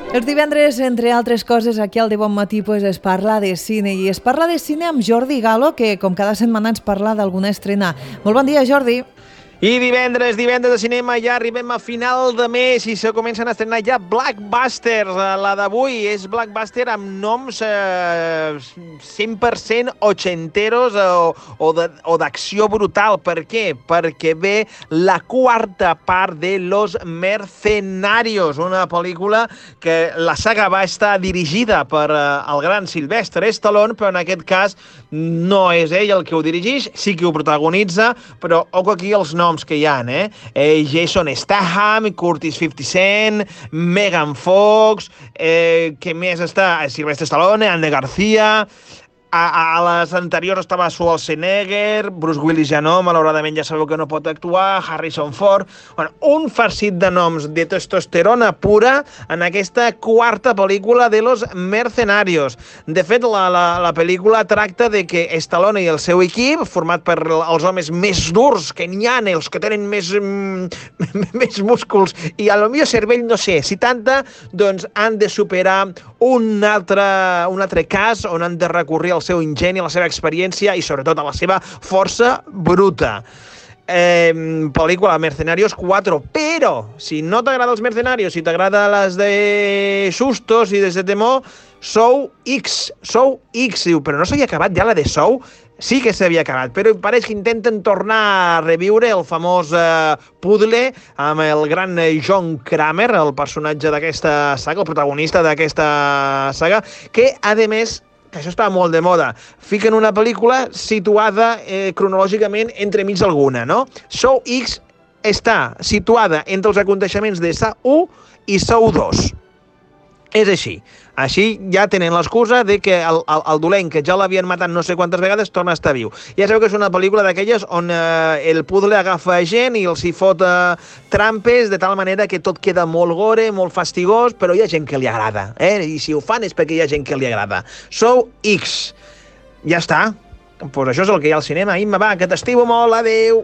Els divendres, entre altres coses, aquí al De Bon Matí es parla de cine, i es parla de cine amb Jordi Galo, que com cada setmana ens parla d'alguna estrena. Molt bon dia, Jordi. I divendres de cinema, ja arribem a final de mes i se comencen a estrenar ja blockbusters. La d'avui és blockbuster amb noms 100% ochenteros o d'acció brutal. Per què? Perquè ve la quarta part de Los Mercenarios, una pel·lícula que la saga va estar dirigida per el gran Sylvester Stallone, però en aquest cas no és ell el que ho dirigeix, sí que ho protagonitza, però ojo aquí els noms que hi ha, Jason Statham, Curtis 50 Cent, Megan Fox, què més està? Sylvester Stallone, Andy García. A les anteriors estava Schwarzenegger, Bruce Willis ja no, malauradament ja sabeu que no pot actuar, Harrison Ford. Bueno, un farcit de noms de testosterona pura en aquesta quarta pel·lícula de Los Mercenarios. De fet, la pel·lícula tracta de que Stallone i el seu equip, format per els homes més durs que n'hi ha, els que tenen més músculs i a lo millor cervell, no sé, si tanta, doncs han de superar un altre cas on han de recórrer al seu ingeni, a la seva experiència i sobretot a la seva força bruta. Pel·lícula Mercenarios 4, però si no t'agrada els Mercenarios, si t'agrada les de sustos i de temor, Saw X, diu, però no s'havia acabat ja la de Saw? Sí que s'havia acabat, però pareix que intenten tornar a reviure el famós puzzle amb el gran John Kramer, el personatge d'aquesta saga, el protagonista d'aquesta saga, que, a més, que això estava molt de moda, fiquen una pel·lícula situada cronològicament entremig d'alguna, no? Saw X està situada entre els aconteixements de Saw 1 i Saw 2. És així. Així ja tenen l'excusa de que el dolent, que ja l'havien matat no sé quantes vegades, torna a estar viu. Ja sabeu que és una pel·lícula d'aquelles on el puzzle agafa gent i els hi fot trampes de tal manera que tot queda molt gore, molt fastigós, però hi ha gent que li agrada. I si ho fan és perquè hi ha gent que li agrada. Saw X. Ja està. Pues això és el que hi ha al cinema. Imma, va, que t'estimo molt. Adéu.